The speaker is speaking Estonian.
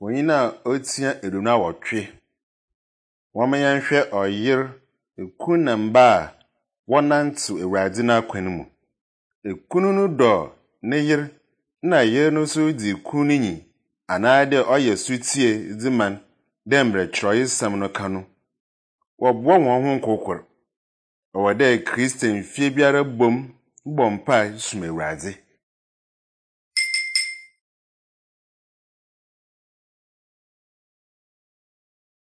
Wonyina otia eduna wotwe. Wamayanhwe oyer ekun na mba wonantu Ewurade na kwan mu. Ekunu no do ne yer na yer no so di kun nyi anaade oye sutie diman dembre Kyerɛwsɛm no ka no. Wɔboa wɔn ho nkokor. Ɔwɔde Kristian fie biara bom bɔmpa sum Ewurade.